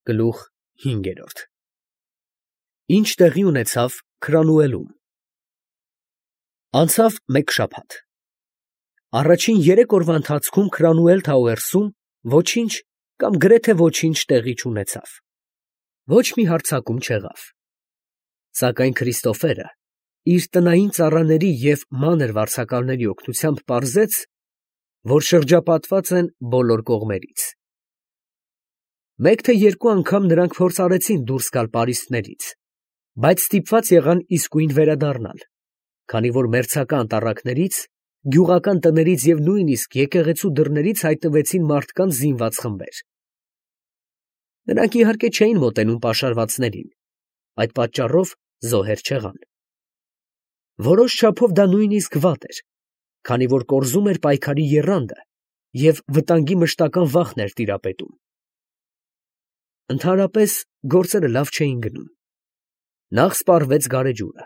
Գլուխ 5 Ինչ տեղի ունեցավ Քրանուելում։ Անցավ մեկ շաբաթ։ Առաջին 3 օրվա ընթացքում Քրանուել Թաուերսում ոչինչ կամ գրեթե ոչինչ տեղի չունեցավ։ Ոչ մի հարձակում չեղավ։ Սակայն Քրիստոֆերը իր տնային ծառաների և մանր վարձակալների օգնությամբ պարզեց, որ շրջապատված են բոլոր կողմերից։ Մեկ թե երկու անգամ նրանք փորձ արեցին դուրս գալ պարիսպներից, բայց ստիպված եղան իսկույն վերադառնալ, քանի որ մերձակա անտառակներից, գյուղական տներից և նույնիսկ եկեղեցու դռներից հայտնվեցին մարդկանց զինված խմբեր։ Նրանք իհարկե չէին մոտենում պաշարվածներին, այդ պատճառով զոհեր չեղան։ Որոշ չափով դա նույնիսկ վատ էր, քանի որ կորզում էր պայքարի եռանդը և վտանգի մշտական վախն էր տիրապետում։ Ընդհանրապես գործերը լավ չէին գնում։ Նախ սպառվեց գարեջուրը,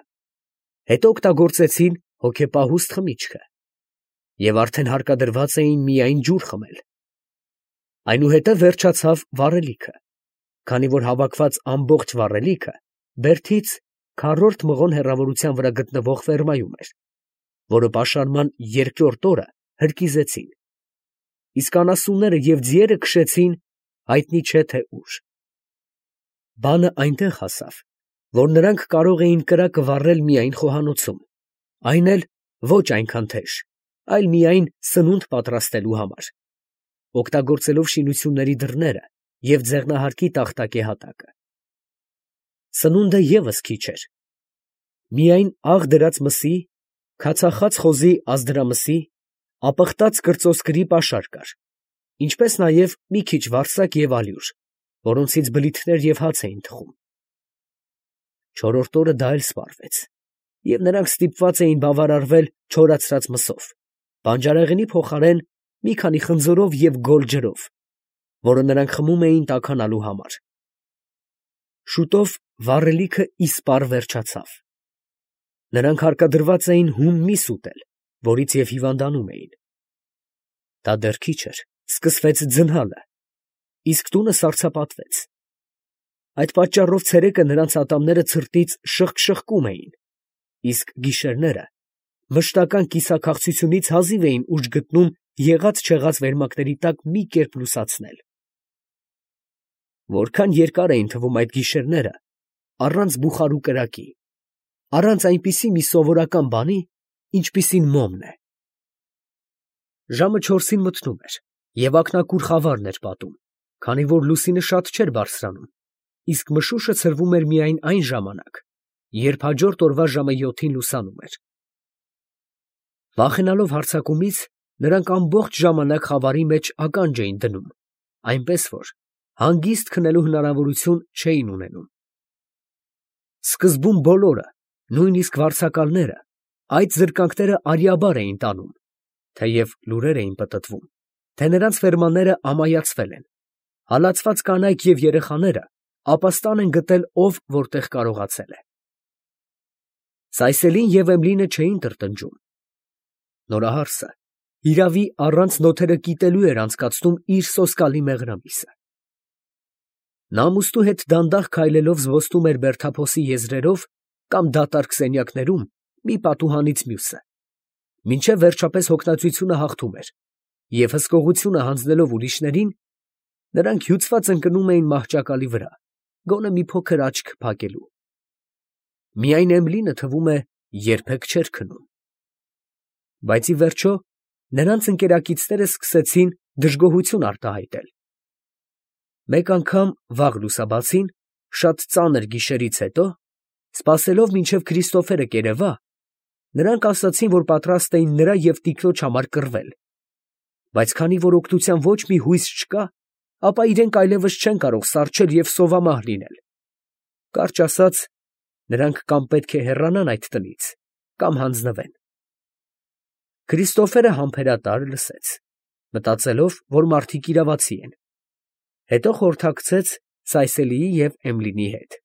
հետո օգտագործեցին հոգեպահուստ խմիչքը և արդեն հարկադրված էին միայն ջուր խմել։ Այնուհետև վերջացավ վառելիքը, քանի որ հավաքված ամբողջ վառելիքը բերդից քառորդ մղոն հեռավորության վրա գտնվող ֆերմայում էր, որը պաշարման երկրորդ օրը հրկիզեցին, իսկ անասունները և ձիերը քշեցին հայտնի չէ թե ուր։ Բանը այնտեղ հասավ, որ նրանք կարող էին կրակը վառել միայն խոհանոցում, այն էլ ոչ այնքան թեժ, այլ միայն սնունդ պատրաստելու համար, օգտագործելով շինությունների դռները և ձեղնահարկի տախտակե հատակը։ Սնունդը ևս քիչ էր. միայն աղ դրած մսի, քացախաց խոզի ազդրամսի, ապխտած կրծոսկրի պաշար կար, ինչպես նաև մի քիչ վարսակ և ալյուր, որոնցից բլիթներ և հաց էին թխում։ Չորրորդ օրը դա էլ սպառվեց, և նրանք ստիպված էին բավարարվել չորացրած մսով, բանջարեղենի փոխարեն մի քանի խնձորով և գոլ ջրով, որը նրանք խմում էին տաքանալու համար։ Շուտով վառելիքը իսպառ վերջացավ։ Նրանք հարկադրված էին հում միս ուտել, որից և հիվանդանում էին։ Դա դեռ քիչ էր, սկսվեց ձնհալը, իսկ տունը սառցապատվեց։ Այդ պատճառով ցերեկը նրանց ատամները ցրտից շըխկ֊շըխկում էին, իսկ գիշերները մշտական կիսաքաղցությունից հազիվ էին ուժ գտնում եղած֊չեղած վերմակների տակ մի կերպ լուսացնել։ Որքան երկար էին թվում այդ գիշերները առանց բուխարու կրակի, առանց այնպիսի մի սովորական բանի, ինչպիսին մոմն է։ Ժամը 4-ին մթնում էր, և ակնակուր խավարն էր պատում, քանի որ լուսինը շատ չէր բարձրանում, իսկ մշուշը ցրվում էր միայն այն ժամանակ, երբ հաջորդ օրվա ժամը 7-ին լուսանում էր։ Վախենալով հարձակումից, նրանք ամբողջ ժամանակ խավարի մեջ ականջ էին դնում, այնպես որ հանգիստ քնելու հնարավորություն չէին ունենում։ Սկզբում բոլորը, նույնիսկ վարձակալները, այդ զրկանքները արյաբար էին տանում, թեև լուրեր էին պտտվում, թե նրանց ֆերմանները ամայացվել են, հալածված կանայք և երեխաները ապաստան են գտել ով որտեղ կարողացել է։ Սայսելին և Էմլինը չէին տրտնջում։ Նորահարսը հիրավի առանց նոթերը կիտելու էր անցկացնում իր սոսկալի մեղրամիսը։ Նա ամուստու հետ դանդաղ քայլելով զբոսնում էր բերդափոսի եզրերով կամ դատարկ սենյակներում մի պատուհանից մյուսը, մինչև վերջապես հոգնածությունը հաղթում էր, և հսկողությունը հանձնելով ուրիշներին, նրանք հյուծված ընկնում էին մահճակալի վրա, գոնե մի փոքր աչք փակելու։ Միայն Էմլինը, թվում է, երբեք չէր քնում։ Բայց ի վերջո նրանց ընկերակիցները սկսեցին դժգոհություն արտահայտել։ Մեկ անգամ վաղ լուսաբացին, շատ ծանր գիշերից հետո, սպասելով մինչև Քրիստոֆերը կերևա, նրանք ասացին, որ պատրաստ էին նրա և տիկնոջ համար կռվել, բայց քանի որ օգնության ոչ մի հույս չկա, ապա իրենք այլևս չեն կարող սառչել և սովամահ լինել։ Կարճ ասած, նրանք կամ պետք է հեռանան այդ տնից, կամ հանձնվեն։ Քրիստոֆերը համբերատար լսեց, մտածելով, որ մարդիկ իրավացի են, հետո խորհրդակցեց Սայսելիի և Էմլինի հետ։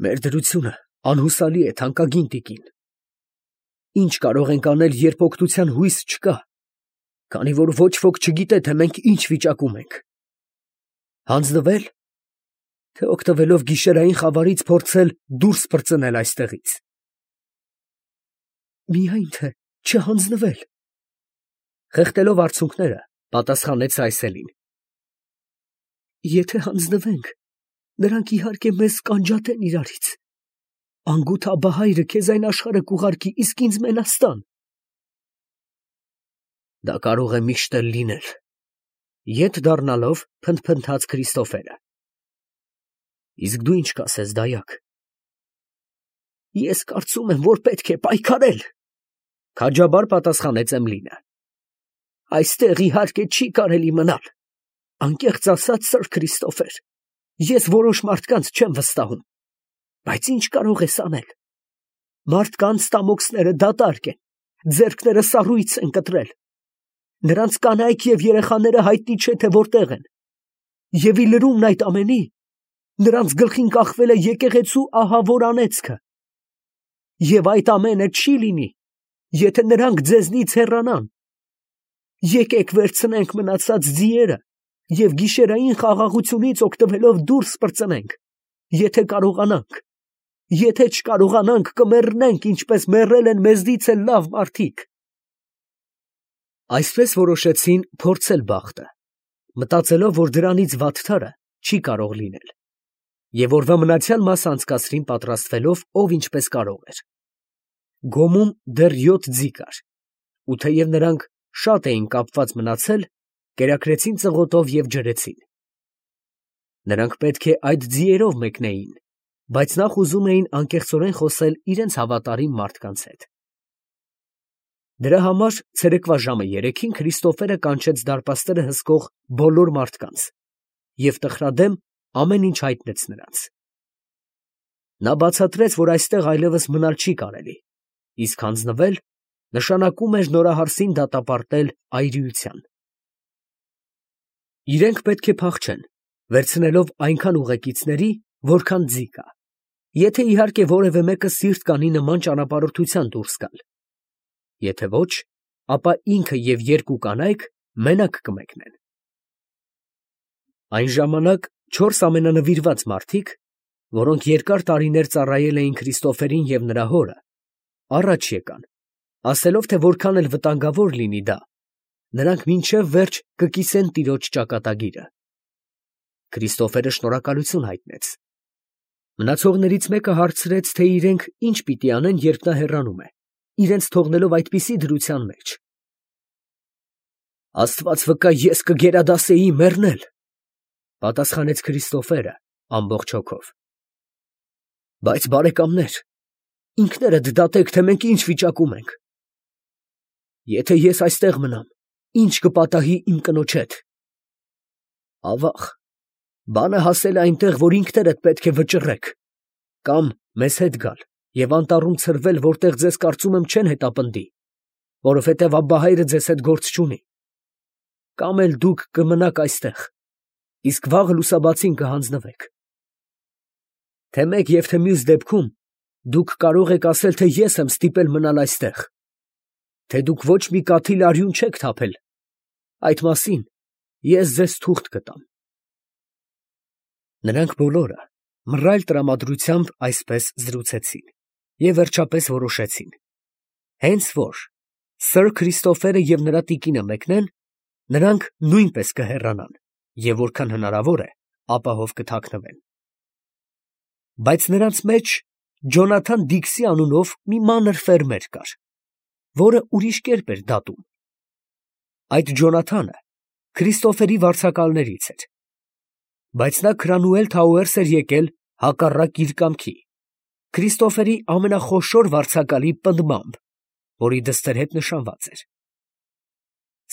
Մեր դրությունը անհուսալի է, թանկագին տիկին։ Ինչ կարող ենք անել, երբ օգնության հույս չկա, քանի որ ոչ ոք չգիտե, թե մենք ինչ վիճակում ենք։ Հանձնվե՞լ, թե օգտվելով գիշերային խավարից փորձել դուրս պրծնել այստեղից։ Միայն թե չհանձնվել, խեղդելով արցունքները, պատասխանեց Այսելին։ Եթե հանձնվենք, նրանք իհարկե մեզ կանջատեն իրարից։ Անգութ Աբահայրը քեզ այն աշխարհը կուղարկի, իսկ ինձ մենաստան։ Դա կարող է միշտ էլ լինել, ետ դառնալով փնթփնթաց Քրիստոֆերը։ Իսկ դու ինչ կասես, դայակ։ Ես կարծում եմ, որ պետք է պայքարել, քաջաբար պատասխանեց Էմլինը։ Այստեղ իհարկե չի կարելի մնալ։ Անկեղծ ասած, սըր Քրիստոֆեր, ես որոշ մարդկանց չեմ վստահում, բայց ինչ կարող ես անել։ Մարդկանց տամոքսները դատարկ են, ձեռքները սառույց են կտրել։ Նրանց կանայք և երեխաները հայտնի չէ, թե որտեղ են։ Եվ ի լրումն այդ ամենի, նրանց գլխին կախվել է եկեղեցու ահավոր անեծքը։ Եվ այդ ամենը չի լինի, եթե նրանք ձեզնից հեռանան։ Եկեք վերցնենք մնացած ձիերը և գիշերային խաղաղությունից օգտվելով դուրս պրծնենք, եթե կարողանանք։ Եթե չկարողանանք, կմեռնենք, ինչպես մեռել են մեզնից էլ լավ մարդիկ։ Այսպես որոշեցին փորձել բախտը, մտածելով, որ դրանից վատթարը չի կարող լինել, և օրվա մնացյալ մասը անցկացրին պատրաստվելով ով ինչպես կարող էր։ Գոմում դեռ 7 ձի կար, ու թեև նրանք շատ էին կապված մնացել, կերակրեցին ծղոտով և ջրեցին։ Նրանք պետք է այդ ձիերով մեկնեին, բայց նախ ուզում էին անկեղծորեն խոսել իրենց հավատարիմ մարդկանց հետ։ Դրա համար ցերեկվա ժամը 3-ին Քրիստոֆերը կանչեց դարպասները հսկող բոլոր մարդկանց և տխրադեմ ամեն ինչ հայտնեց նրանց։ Նա բացատրեց, որ այստեղ այլևս մնալ չի կարելի, իսկ հանձնվել նշանակում էր նորահարսին դատապարտել այրիության։ Իրենք պետք է փախչեն, վերցնելով այնքան ուղեկիցների, որքան ձի կա, եթե իհարկե որևէ մեկը սիրտ կանի նման ճանապարհորդության դուրս գալ։ Եթե ոչ, ապա ինքը և 2 կանայք մենակ կմեկնեն։ Այն ժամանակ 4 ամենանվիրված մարդիկ, որոնք երկար տարիներ ծառայել էին Քրիստոֆերին և նրա հորը, առաջ եկան, ասելով, թե որքան էլ վտանգավոր լինի դա, նրանք մինչև վերջ կկիսեն տիրոջ ճակատագիրը։ Քրիստոֆերը շնորհակալություն հայտնեց։ Մնացողներից մեկը հարցրեց, թե իրենք ինչ պիտի անեն, երբ նա հեռանում է, իրենց թողնելով այդպիսի դրության մեջ։ Աստված վկա, ես կգերադասեի մեռնել, պատասխանեց Քրիստոֆերը ամբողջ հոգով։ Բայց բարեկամներ, ինքներդ դատեք, թե մենք ինչ վիճակում ենք։ Եթե ես այստեղ մնամ, ինչ կպատահի իմ կնոջ հետ։ Ավաղ, բանը հասել է այնտեղ, որ ինքներդ պետք է վճռեք, կամ մեզ հետ գալ և անտառում ցրվել, որտեղ ձեզ կարծում եմ չեն հետապնդի, որովհետև Աբբահայրը ձեզ հետ գործ չունի, կամ էլ դուք կմնաք այստեղ, իսկ վաղը լուսաբացին կհանձնվեք։ Թե մեկ և թե մյուս դեպքում դուք կարող եք ասել, թե ես եմ ստիպել մնալ այստեղ, թե դուք ոչ մի կաթիլ արյուն չեք թափել, այդ մասին ես ձեզ թուղթ կտամ։ Նրանք բոլորը մռայլ տրամադրությամբ այսպես զրուցեցին և վերջապես որոշեցին. հենց որ սըր Քրիստոֆերը և նրա տիկինը մեկնեն, նրանք նույնպես կհեռանան և որքան հնարավոր է ապահով կթաքնվեն։ Բայց նրանց մեջ Ջոնաթան Դիքսի անունով մի մանր ֆերմեր կար, որը ուրիշ կերպ էր դատում։ Այդ Ջոնաթանը Քրիստոֆերի վարձակալներից էր, բայց նա Քրանուել Թաուերս էր եկել հակառակ իր կամքի, Քրիստոֆերի ամենախոշոր վարձակալի պնդմամբ, որի դստեր հետ նշանված էր։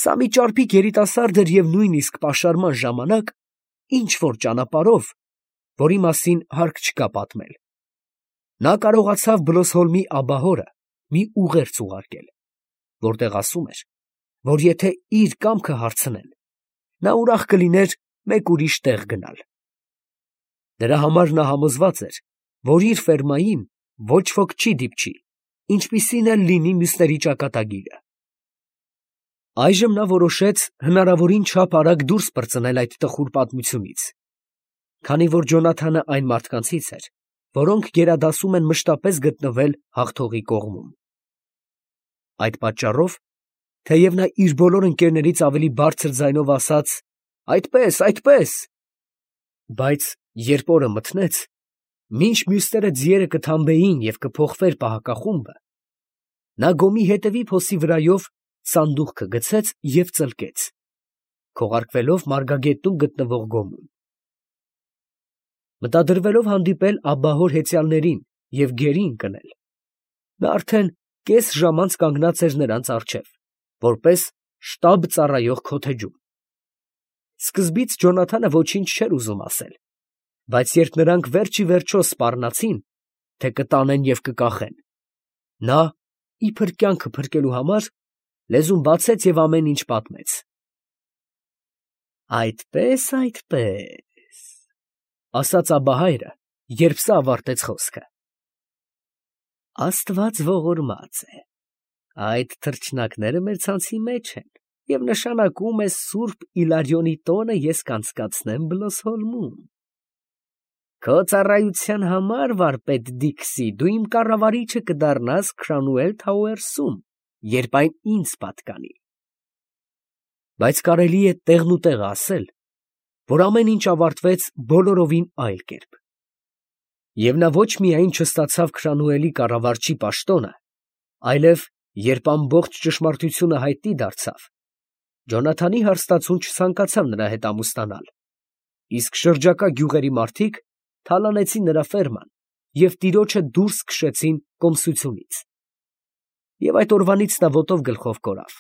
Սա մի ճարպիկ երիտասարդ էր և նույնիսկ պաշարման ժամանակ ինչ-որ ճանապարհով, որի մասին հարկ չկա պատմել, նա կարողացավ Բլոսհոլմի աբահորը մի ուղերձ ուղարկել, որտեղ ասում էր, որ եթե իր կամքը հարցնեն, նա ուրախ կլիներ մեկ ուրիշ տեղ գնալ։ Դրա համար նա համոզված էր, որ իր ֆերմային ոչ ոք չի դիպչի, ինչպիսին էլ լինի մյուսների ճակատագիրը։ Այժմ նա որոշեց հնարավորին չափ արագ դուրս պրծնել այդ տխուր պատմությունից քանի որ Ջոնաթանը այն մարդկանցից էր, որոնք գերադասում են մշտապես գտնվել հաղթողի կողմում։ Այդ պատճառով, թեև նա իր բոլոր ընկերներից ավելի բարձր ձայնով ասաց. «Այդպես, այդպես», բայց երբ օրը մթնեց, մինչ մյուսները ձիերը կթամբեին և կփոխվեր պահակախումբը, նա գոմի հետևի փոսի վրայով սանդուղքը գցեց և ծլկեց, քողարկվելով մարգագետնում գտնվող գոմում։ Մտադրվելով հանդիպել աբահոր հեծյալներին և գերի ընկնել, նա արդեն կես ժամ անց կանգնած էր նրանց առջև, որպես շտաբ ծառայող քոթեջում։ Սկզբից Ջոնաթանը ոչինչ չէր ուզում ասել, բայց երբ նրանք վերջ ի վերջո սպառնացին, թե կտանեն և կկախեն, նա, իբր կյանքը փրկելու համար, լեզուն բացեց և ամեն ինչ պատմեց։ «Այդպես, այդպես», ասաց աբահայրը, երբ սա ավարտեց խոսքը, «Աստված ողորմած է, այդ թռչնակները մեր ցանցի մեջ են, և նշանակում է սուրբ Իլարյոնի տոնը ես կանցկացնեմ Բլոսհոլմում։ Քո ծառայության համար, վարպետ Դիքսի, դու իմ կառավարիչը կդառնաս Քրանուել Թաուերսում, երբ այն ինձ պատկանի»։ Բայց կարելի է տեղնուտեղը ասել, որ ամեն ինչ ավարտվեց բոլորովին այլ կերպ։ Եվ նա ոչ միայն չստացավ Քրանուելի կառավարչի պաշտոնը, այլև, երբ ամբողջ ճշմարտությունը հայտնի դարձավ, Ջոնաթանի հարստացուն չցանկացավ նրա հետ ամուսնանալ, իսկ շրջակա գյուղերի մարդիկ թալանեցին նրա ֆերման և տիրոջը դուրս քշեցին կոմսությունից։ Եվ այդ օրվանից նա ոտով գլխով կորավ։